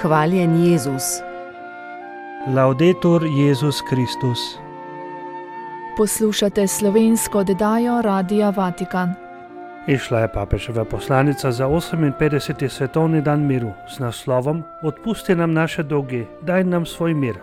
Hvaljen Jezus. Laudetur Jezus Kristus. Poslušate slovensko oddajo Radia Vatikan. Išla je papeževa poslanica za 58. svetovni dan miru z naslovom Odpusti nam naše dolge, daj nam svoj mir.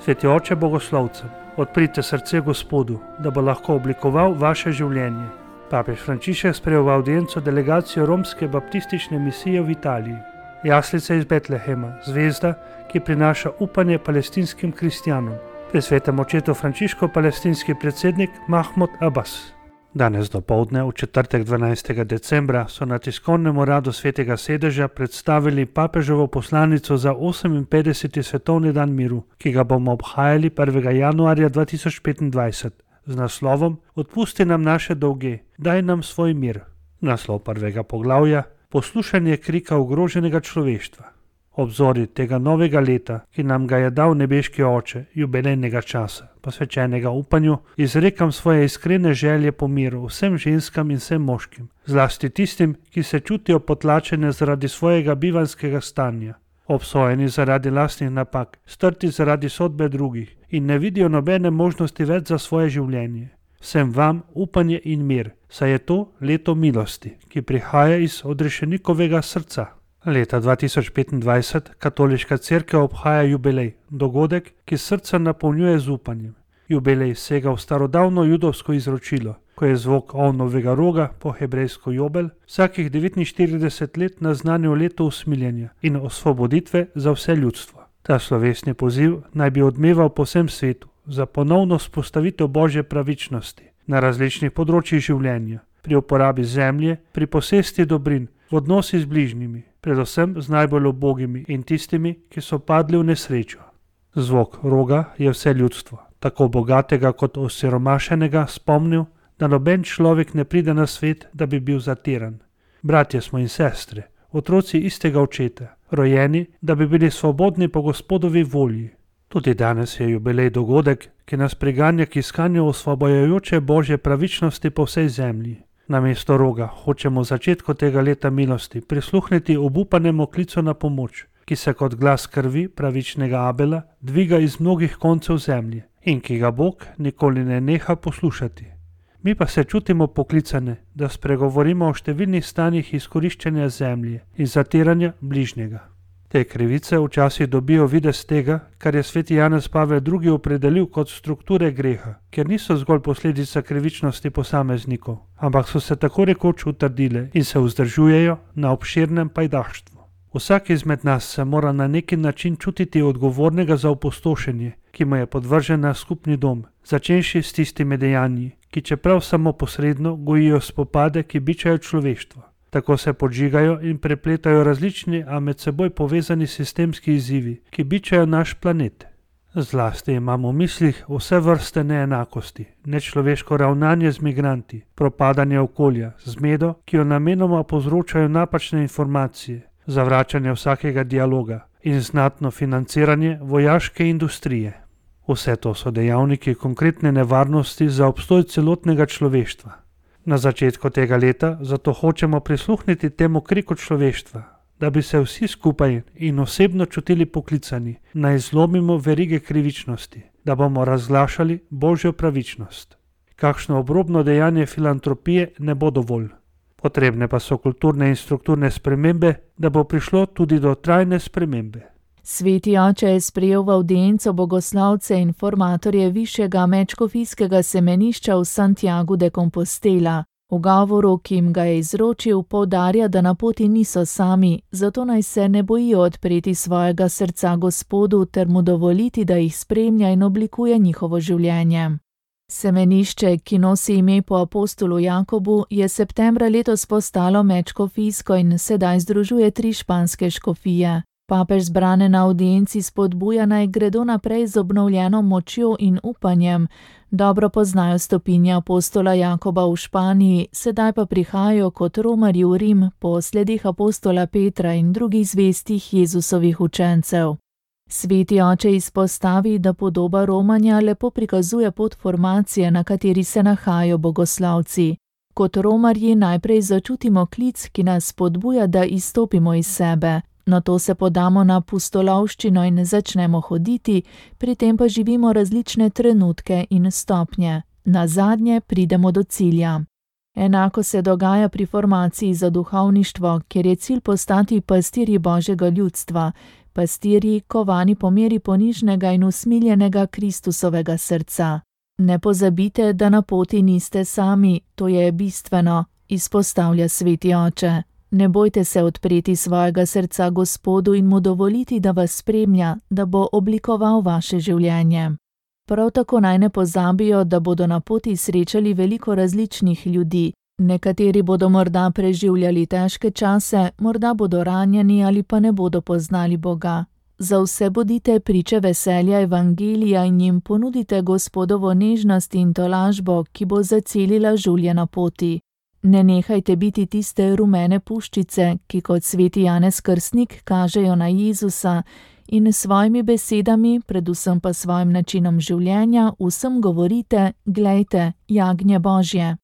Sveti oče bogoslovcem, odprite srce Gospodu, da bo lahko oblikoval vaše življenje. Papež Frančišek sprejel v avdienco delegacijo romske baptistične misije v Italiji. Jaslica iz Betlehema, zvezda, ki prinaša upanje palestinskim kristjanom. Pri svetem očetu Frančišku palestinski predsednik Mahmud Abbas. Danes dopoldne, v četrtek 12. decembra, so na tiskovnem uradu Svetega sedeža predstavili papeževo poslanico za 58. svetovni dan miru, ki ga bomo obhajali 1. januarja 2025 z naslovom Odpusti nam naše dolge, daj nam svoj mir. Naslov prvega poglavja: Poslušanje krika ogroženega človeštva. Obzori tega novega leta, ki nam ga je dal nebeški oče, jubilejnega časa, posvečenega upanju, izrekam svoje iskrene želje po miru vsem ženskam in vsem moškim, zlasti tistim, ki se čutijo potlačene zaradi svojega bivanjskega stanja, obsojeni zaradi lastnih napak, strti zaradi sodbe drugih in ne vidijo nobene možnosti več za svoje življenje. Vsem vam upanje in mir, saj je to leto milosti, ki prihaja iz odrešenikovega srca. Leta 2025 katoliška cerkev obhaja jubilej, dogodek, ki srca napolnjuje z upanjem. Jubilej sega v starodavno judovsko izročilo, ko je zvok ovnovega roga, po hebrejsko jobel, vsakih 49 let naznanil leto usmiljenja in osvoboditve za vse ljudstvo. Ta slovesni poziv naj bi odmeval po vsem svetu za ponovno vzpostavitev božje pravičnosti na različnih področjih življenja, pri uporabi zemlje, pri posesti dobrin, v odnosi z bližnjimi, predvsem z najbolj ubogimi in tistimi, ki so padli v nesrečo. Zvok roga je vse ljudstvo, tako bogatega kot osiromašenega, spomnil, da noben človek ne pride na svet, da bi bil zatiran. Bratje smo in sestre, otroci istega očeta, rojeni, da bi bili svobodni po Gospodovi volji. Tudi danes je jubilej dogodek, ki nas priganja k iskanju osvobojajoče božje pravičnosti po vsej zemlji. Namesto roga hočemo v začetku tega leta milosti prisluhniti obupanemu klicu na pomoč, ki se kot glas krvi pravičnega Abela dviga iz mnogih koncev zemlje in ki ga Bog nikoli ne neha poslušati. Mi pa se čutimo poklicane, da spregovorimo o številnih stanjih izkoriščanja zemlje in zatiranja bližnjega. Te krivice včasih dobijo videz tega, kar je sveti Janez Pavel II. Opredelil kot strukture greha, ker niso zgolj posledica krivičnosti posameznikov, ampak so se tako rekoč utrdile in se vzdržujejo na obširnem pajdaštvu. Vsak izmed nas se mora na neki način čutiti odgovornega za opustošenje, ki mu je podvržen na skupni dom, začenši s tistimi dejanji, ki čeprav samo posredno gojijo spopade, ki bičajo človeštvo. Tako se podžigajo in prepletajo različni, a med seboj povezani sistemski izzivi, ki bičajo naš planet. Zlasti imamo v mislih vse vrste neenakosti, nečloveško ravnanje z migranti, propadanje okolja, zmedo, ki jo namenoma povzročajo napačne informacije, zavračanje vsakega dialoga in znatno financiranje vojaške industrije. Vse to so dejavniki konkretne nevarnosti za obstoj celotnega človeštva. Na začetku tega leta zato hočemo prisluhniti temu kriku človeštva, da bi se vsi skupaj in osebno čutili poklicani, naj zlomimo verige krivičnosti, da bomo razglašali božjo pravičnost. Kakšno obrobno dejanje filantropije ne bo dovolj. Potrebne pa so kulturne in strukturne spremembe, da bo prišlo tudi do trajne spremembe. Sveti oče je sprejel v avdienco bogoslavce in formatorje višjega medškofijskega semenišča v Santiagu de Compostela. V govoru, ki jim ga je izročil, poudarja, da na poti niso sami, zato naj se ne bojijo odpreti svojega srca Gospodu ter mu dovoliti, da jih spremlja in oblikuje njihovo življenje. Semenišče, ki nosi ime po apostolu Jakobu, je septembra letos postalo medškofijsko in sedaj združuje 3 španske škofije. Papež zbrane na avdienci spodbuja, naj gredo naprej z obnovljeno močjo in upanjem. Dobro poznajo stopinje apostola Jakoba v Španiji, sedaj pa prihajajo kot romarji v Rim po sledih apostola Petra in drugih zvestih Jezusovih učencev. Sveti oče izpostavi, da podoba romanja lepo prikazuje pot formacije, na kateri se nahajajo bogoslavci. Kot romarji najprej začutimo klic, ki nas spodbuja, da izstopimo iz sebe. Nato se podamo na pustolovščino in začnemo hoditi, pri tem pa živimo različne trenutke in stopnje. Nazadnje pridemo do cilja. Enako se dogaja pri formaciji za duhovništvo, kjer je cilj postati pastirji Božjega ljudstva, pastirji, kovani po meri ponižnega in usmiljenega Kristusovega srca. Ne pozabite, da na poti niste sami, to je bistveno, izpostavlja sveti oče. Ne bojte se odpreti svojega srca Gospodu in mu dovoliti, da vas spremlja, da bo oblikoval vaše življenje. Prav tako naj ne pozabijo, da bodo na poti srečali veliko različnih ljudi. Nekateri bodo morda preživljali težke čase, morda bodo ranjeni ali pa ne bodo poznali Boga. Za vse bodite priče veselja evangelija in jim ponudite Gospodovo nežnost in tolažbo, ki bo zacelila življenje na poti. Ne nehajte biti tiste rumene puščice, ki kot sveti Janez Krstnik kažejo na Jezusa in s svojimi besedami, predvsem pa svojim načinom življenja, vsem govorite: glejte, jagnje Božje.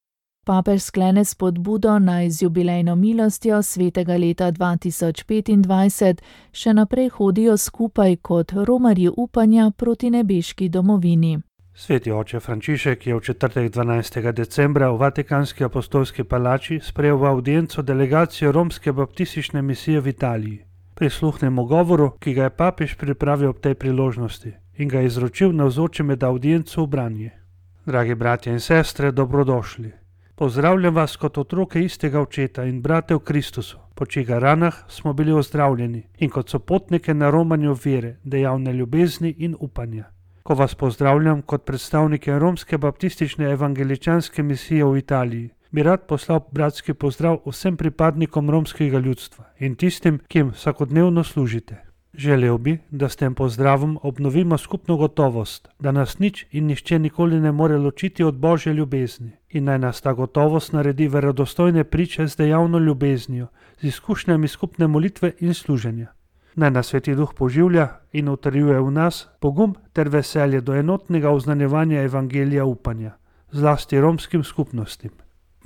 Papež sklene spodbudo naj z jubilejno milostjo svetega leta 2025 še naprej hodijo skupaj kot romarji upanja proti nebeški domovini. Sveti oče Frančišek je v četrtek 12. decembra v Vatikanski apostolski palači sprejel v avdienco delegacijo romske baptistične misije v Italiji. Prisluhnemo govoru, ki ga je papež pripravil ob tej priložnosti in ga izročil navzočim med avdienco v branje. Dragi bratje in sestre, dobrodošli. Pozdravljam vas kot otroke istega očeta in brate v Kristusu, po čigar ranah smo bili ozdravljeni, in kot sopotnike na romanju vere, dejavne ljubezni in upanja. Ko vas pozdravljam kot predstavnike romske baptistične evangeličanske misije v Italiji, bi rad poslal bratski pozdrav vsem pripadnikom romskega ljudstva in tistim, ki jim vsakodnevno služite. Želel bi, da s tem pozdravom obnovimo skupno gotovost, da nas nič in nihče nikoli ne more ločiti od Božje ljubezni in naj nas ta gotovost naredi verodostojne priče z dejavno ljubeznijo, z izkušnjami skupne molitve in služenja. Naj nas Sveti Duh poživlja in utrjuje v nas pogum ter veselje do enotnega oznanjevanja evangelija upanja, zlasti romskim skupnostim.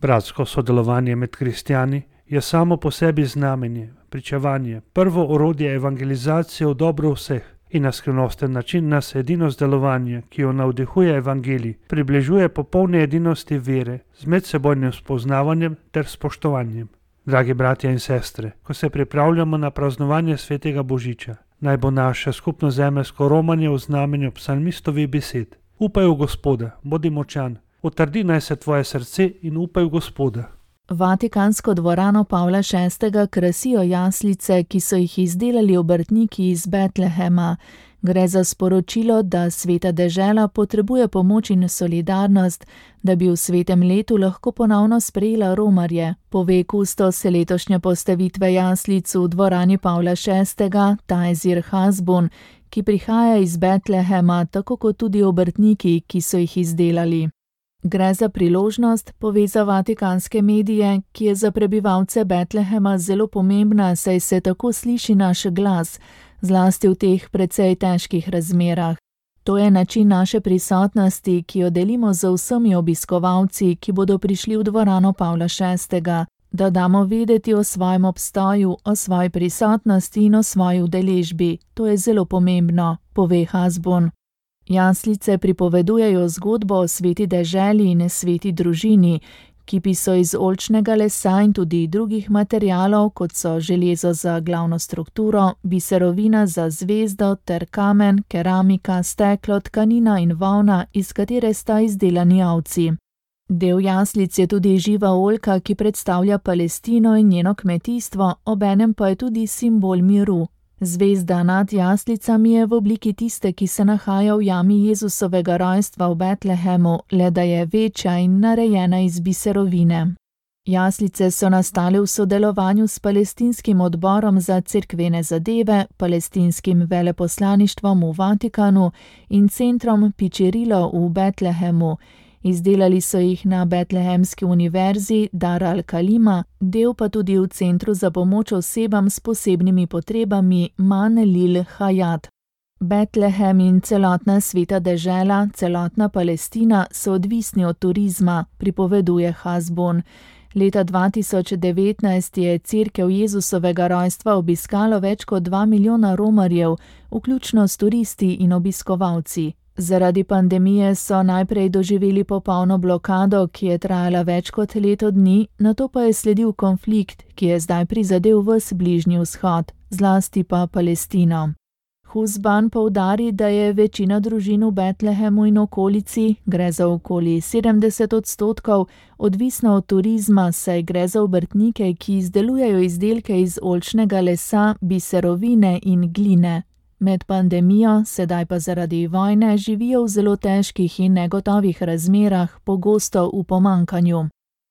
Bratsko sodelovanje med kristjani je samo po sebi znamenje, pričevanje, prvo orodje evangelizacije v dobro vseh in na skrivnosten način nas edinost delovanja, ki jo navdihuje evangelij, približuje popolne edinosti vere z medsebojnim spoznavanjem ter spoštovanjem. Dragi bratje in sestre, ko se pripravljamo na praznovanje svetega Božiča, naj bo naše skupno zemeljsko romanje v znamenju psalmistovih besed. Upaj v Gospoda, bodi močan, utrdi naj se tvoje srce in upaj v Gospoda. Vatikansko dvorano Pavla VI. Krasijo jaslice, ki so jih izdelali obrtniki iz Betlehema. Gre za sporočilo, da sveta dežela potrebuje pomoč in solidarnost, da bi v svetem letu lahko ponovno sprejela romarje, pove kustos letošnje postavitve jaslic v dvorani Pavla VI. Tajzir Hasbun, ki prihaja iz Betlehema, tako kot tudi obrtniki, ki so jih izdelali. Gre za priložnost, pove za vatikanske medije, ki je za prebivalce Betlehema zelo pomembna, saj se tako sliši naš glas, zlasti v teh precej težkih razmerah. To je način naše prisotnosti, ki jo delimo z vsemi obiskovalci, ki bodo prišli v dvorano Pavla VI., da damo vedeti o svojem obstoju, o svoji prisotnosti in o svoji udeležbi. To je zelo pomembno, pove Hasbun. Jaslice pripovedujejo zgodbo o sveti deželi in sveti družini, kipi so iz oljčnega lesa in tudi drugih materialov, kot so železo za glavno strukturo, biserovina za zvezdo ter kamen, keramika, steklo, tkanina in volna, iz katere sta izdelani ovci. Del jaslic je tudi živa oljka, ki predstavlja Palestino in njeno kmetijstvo, obenem pa je tudi simbol miru. Zvezda nad jaslicami je v obliki tiste, ki se nahaja v jami Jezusovega rojstva v Betlehemu, le da je večja in narejena iz biserovine. Jaslice so nastale v sodelovanju s palestinskim odborom za cerkvene zadeve, palestinskim veleposlaništvom v Vatikanu in centrom Pičerilo v Betlehemu. Izdelali so jih na Betlehemski univerzi Dar al-Kalima, del pa tudi v Centru za pomoč osebam s posebnimi potrebami Man Lil Hayat. Betlehem in celotna sveta dežela, celotna Palestina so odvisni od turizma, pripoveduje Hasbun. Leta 2019 je Cerkev Jezusovega rojstva obiskalo več kot 2 milijona romarjev, vključno s turisti in obiskovalci. Zaradi pandemije so najprej doživeli popolno blokado, ki je trajala več kot leto dni, nato pa je sledil konflikt, ki je zdaj prizadel ves Bližnji vzhod, zlasti pa Palestino. Husban poudari, da je večina družin v Betlehemu in okolici, gre za okoli 70%, odvisna od turizma, saj gre za obrtnike, ki izdelujejo izdelke iz oljčnega lesa, biserovine in gline. Med pandemijo, sedaj pa zaradi vojne, živijo v zelo težkih in negotovih razmerah, pogosto v pomanjkanju.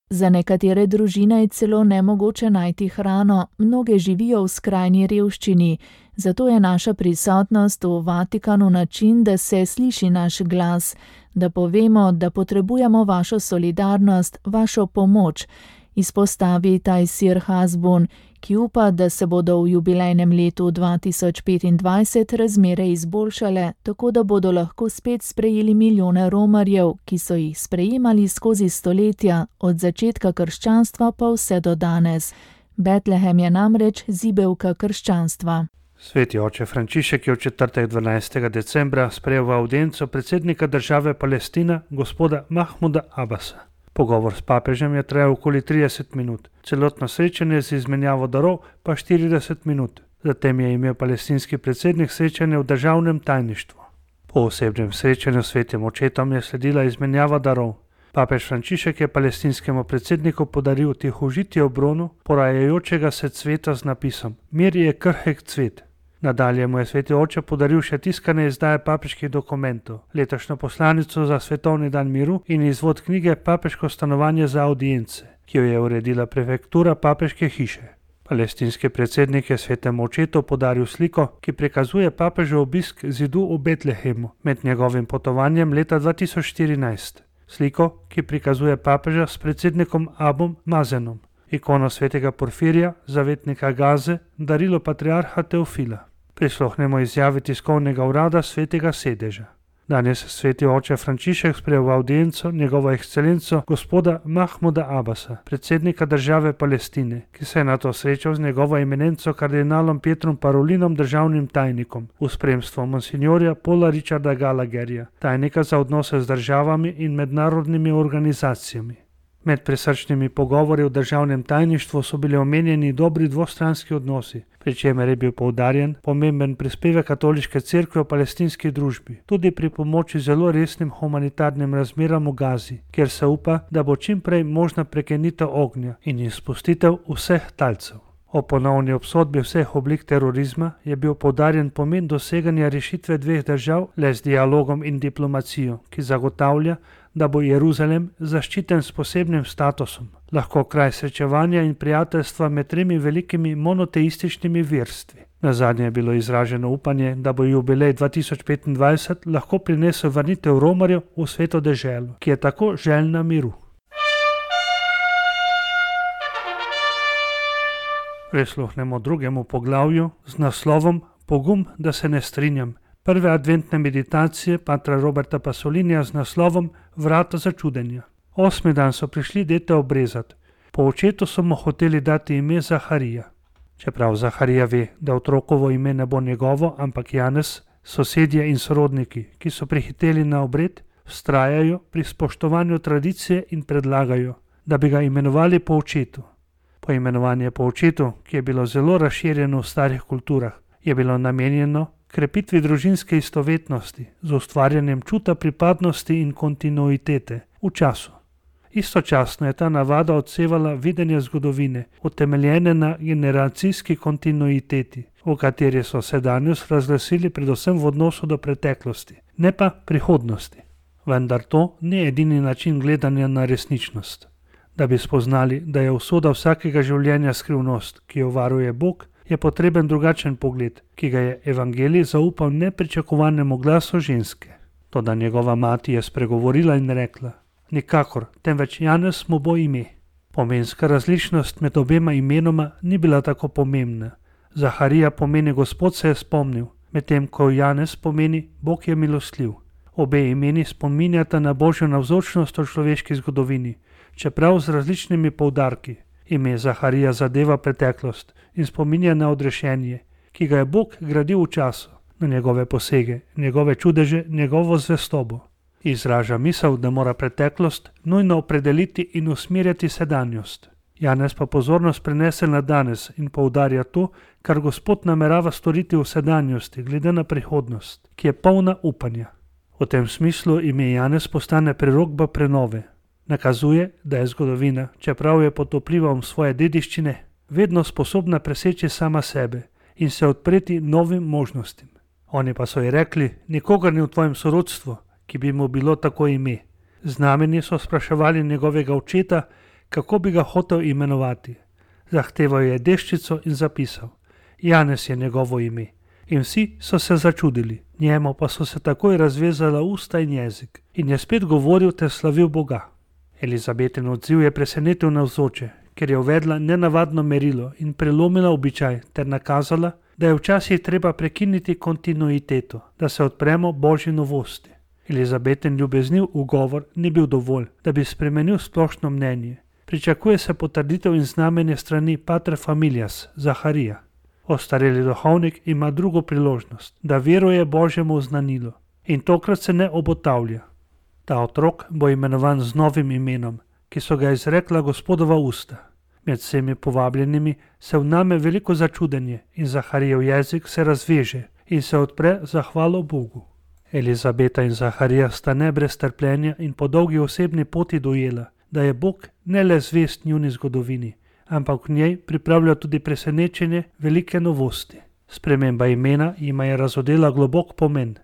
Za nekatere družine je celo nemogoče najti hrano, mnoge živijo v skrajni revščini, zato je naša prisotnost v Vatikanu način, da se sliši naš glas, da povemo, da potrebujemo vašo solidarnost, vašo pomoč, izpostavi Tajsir Hasbun, ki upa, da se bodo v jubilejnem letu 2025 razmere izboljšale, tako da bodo lahko spet sprejeli milijone romarjev, ki so jih sprejemali skozi stoletja, od začetka krščanstva pa vse do danes. Betlehem je namreč zibelka krščanstva. Sveti oče Frančišek je v četrtek 12. decembra sprejel v avdienco predsednika države Palestina, gospoda Mahmuda Abasa. Pogovor s papežem je trajal okoli 30 minut, celotno srečanje z izmenjavo darov pa 40 minut. Zatem je imel palestinski predsednik srečanje v državnem tajništvu. Po osebnem srečanju s svetim očetom je sledila izmenjava darov. Papež Frančišek je palestinskemu predsedniku podaril tihožitje obronu porajajočega se cveta z napisom Mir je krhek cvet. Nadalje mu je sveti oče podaril še tiskane izdaje papeških dokumentov, letošnjo poslanico za svetovni dan miru in izvod knjige Papeško stanovanje za avdience, ki jo je uredila prefektura papeške hiše. Palestinski predsednik je svetemu očetu podaril sliko, ki prikazuje papežev obisk zidu v Betlehemu med njegovim potovanjem leta 2014. Sliko, ki prikazuje papeža s predsednikom Abom Mazenom, ikono svetega Porfirija, zavetnika Gaze, darilo patriarha Teofila. Prisluhnemo izjavi tiskovnega urada svetega sedeža. Danes sveti oče Frančišek sprejel v avdienco njegovo ekscelenco gospoda Mahmuda Abasa, predsednika države Palestine, ki se je nato srečal z njegovo eminenco kardinalom Pietrom Parolinom, državnim tajnikom, v spremstvu monsignorja Paula Richarda Gallagherja, tajnika za odnose z državami in mednarodnimi organizacijami. Med prisrčnimi pogovori v državnem tajništvu so bili omenjeni dobri dvostranski odnosi, pri čemer je bil poudarjen pomemben prispevek katoliške cerkve v palestinski družbi, tudi pri pomoči zelo resnim humanitarnim razmeram v Gazi, kjer se upa, da bo čim prej možna prekinitev ognja in izpustitev vseh talcev. O ponovni obsodbi vseh oblik terorizma je bil poudarjen pomen doseganja rešitve dveh držav le z dialogom in diplomacijo, ki zagotavlja, da bo Jeruzalem zaščiten s posebnim statusom, lahko kraj srečevanja in prijateljstva med tremi velikimi monoteističnimi verstvi. Nazadnje je bilo izraženo upanje, da bo jubilej 2025 lahko prinesel vrnitev romarjev v sveto deželo, ki je tako željna miru. Prisluhnemo drugemu poglavju z naslovom Pogum, da se ne strinjam. Prve adventne meditacije patra Roberta Pasolinija z naslovom Vrata začudenja. 8. dan so prišli dete obrezat. Po očetu so mu hoteli dati ime Zaharija. Čeprav Zaharija ve, da otrokovo ime ne bo njegovo, ampak Janez, sosedje in sorodniki, ki so prihiteli na obred, vztrajajo pri spoštovanju tradicije in predlagajo, da bi ga imenovali po očetu. Poimenovanje po očetu, ki je bilo zelo razširjeno v starih kulturah, je bilo namenjeno krepitvi družinske istovetnosti z ustvarjanjem čuta pripadnosti in kontinuitete v času. Istočasno je ta navada odsevala videnje zgodovine, utemeljene na generacijski kontinuiteti, v kateri so sedanjost razglasili predvsem v odnosu do preteklosti, ne pa prihodnosti. Vendar to ni edini način gledanja na resničnost. Da bi spoznali, da je usoda vsakega življenja skrivnost, ki jo varuje Bog, je potreben drugačen pogled, ki ga je evangelij zaupal nepričakovanemu glasu ženske. Toda njegova mati je spregovorila in rekla: Nikakor, temveč Janez mu bo ime. Pomenska različnost med obema imenoma ni bila tako pomembna. Zaharija pomeni Gospod se je spomnil, medtem ko Janez pomeni Bog je milostljiv. Obe imeni spominjata na Božjo navzočnost v človeški zgodovini, čeprav z različnimi poudarki. Ime Zaharija zadeva preteklost in spominja na odrešenje, ki ga je Bog gradil v času, na njegove posege, njegove čudeže, njegovo zvestobo. Izraža misel, da mora preteklost nujno opredeliti in usmerjati sedanjost. Janez pa pozornost prenese na danes in poudarja to, kar Gospod namerava storiti v sedanjosti, glede na prihodnost, ki je polna upanja. V tem smislu ime Janez postane prerokba prenove. Nakazuje, da je zgodovina, čeprav je pod vplivom svoje dediščine, vedno sposobna preseči sama sebe in se odpreti novim možnostim. Oni pa so ji rekli, nikogar ni v tvojem sorodstvu, ki bi mu bilo tako ime. Znameni so spraševali njegovega očeta, kako bi ga hotel imenovati. Zahteval je deščico in zapisal, Janez je njegovo ime. In vsi so se začudili, njemu pa so se takoj razvezala usta in jezik in je spet govoril ter slavil Boga. Elizabetin odziv je presenetil navzoče, ker je uvedla nenavadno merilo in prelomila običaj ter nakazala, da je včasih treba prekiniti kontinuiteto, da se odpremo Božji novosti. Elizabetin ljubezniv ugovor ni bil dovolj, da bi spremenil splošno mnenje. Pričakuje se potrditev in znamenje strani pater familias, Zaharija. Ostareli duhovnik ima drugo priložnost, da veruje Božjemu znanilu in tokrat se ne obotavlja. Ta otrok bo imenovan z novim imenom, ki so ga izrekla Gospodova usta. Med vsemi povabljenimi se vname veliko začudenje in Zaharijev jezik se razveže in se odpre za hvalo Bogu. Elizabeta in Zaharija sta ne brez trpljenja in po dolgi osebni poti dojela, da je Bog ne le zvest njuni zgodovini, ampak v njej pripravlja tudi presenečenje velike novosti. Sprememba imena jima je razodela globok pomen,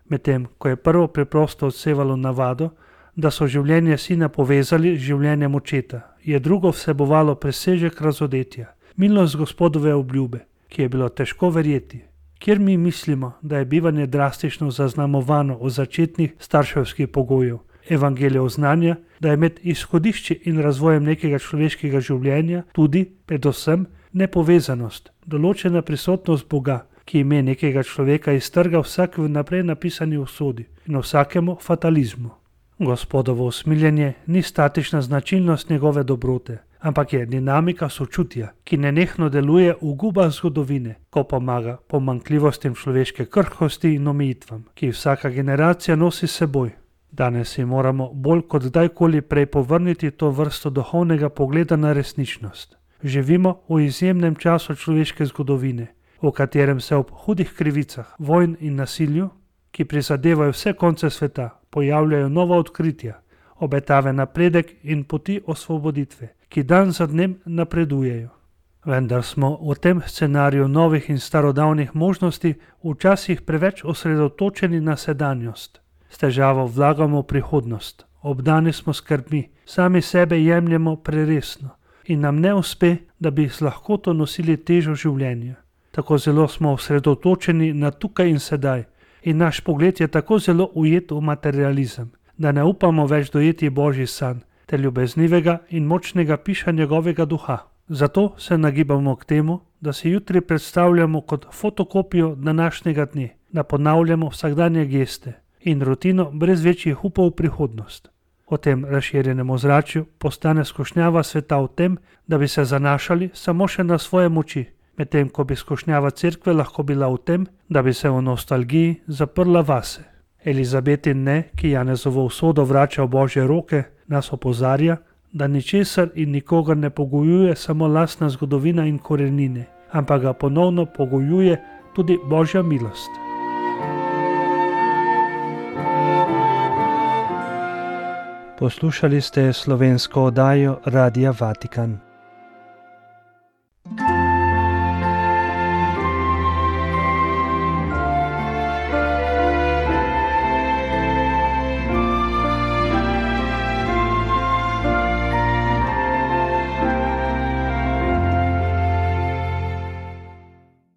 medtem ko je prvo preprosto odsevalo navado, da so življenje sina povezali z življenjem očeta, je drugo vsebovalo presežek razodetja, milost Gospodove obljube, ki je bilo težko verjeti. Kjer mi mislimo, da je bivanje drastično zaznamovano od začetnih starševskih pogojev, evangelijev znanja, da je med izhodišči in razvojem nekega človeškega življenja tudi, predvsem, nepovezanost, določena prisotnost Boga, ki ime nekega človeka iztrga vsak vnaprej napisani usodi in vsakemu fatalizmu. Gospodovo usmiljenje ni statična značilnost njegove dobrote, ampak je dinamika sočutja, ki nenehno deluje v gubah zgodovine, ko pomaga pomanjkljivostim človeške krhkosti in omejitvam, ki vsaka generacija nosi s seboj. Danes si moramo bolj kot kdajkoli prej povrniti to vrsto duhovnega pogleda na resničnost. Živimo v izjemnem času človeške zgodovine, v katerem se ob hudih krivicah, vojn in nasilju, ki prizadevajo vse konce sveta, pojavljajo nova odkritja, obetave napredek in poti osvoboditve, ki dan za dnem napredujejo. Vendar smo v tem scenariju novih in starodavnih možnosti včasih preveč osredotočeni na sedanjost. S težavo vlagamo v prihodnost, obdani smo skrbmi, sami sebe jemljemo preresno in nam ne uspe, da bi z lahkoto nosili težo življenja. Tako zelo smo osredotočeni na tukaj in sedaj in naš pogled je tako zelo ujet v materializem, da ne upamo več dojeti Božji san ter ljubeznivega in močnega piša njegovega duha. Zato se nagibamo k temu, da si jutri predstavljamo kot fotokopijo današnjega dne, da ponavljamo vsakdanje geste in rutino brez večjih upov v prihodnost. V tem razširjenem ozračju postane skušnjava sveta v tem, da bi se zanašali samo še na svoje moči, medtem ko bi skušnjava cerkve lahko bila v tem, da bi se v nostalgiji zaprla vase. Elizabetin ne, ki Janezovo usodo vrača v Božje roke, nas opozarja, da ničesar in nikogar ne pogojuje samo lastna zgodovina in korenine, ampak ga ponovno pogojuje tudi Božja milost. Poslušali ste slovensko oddajo Radia Vatikan.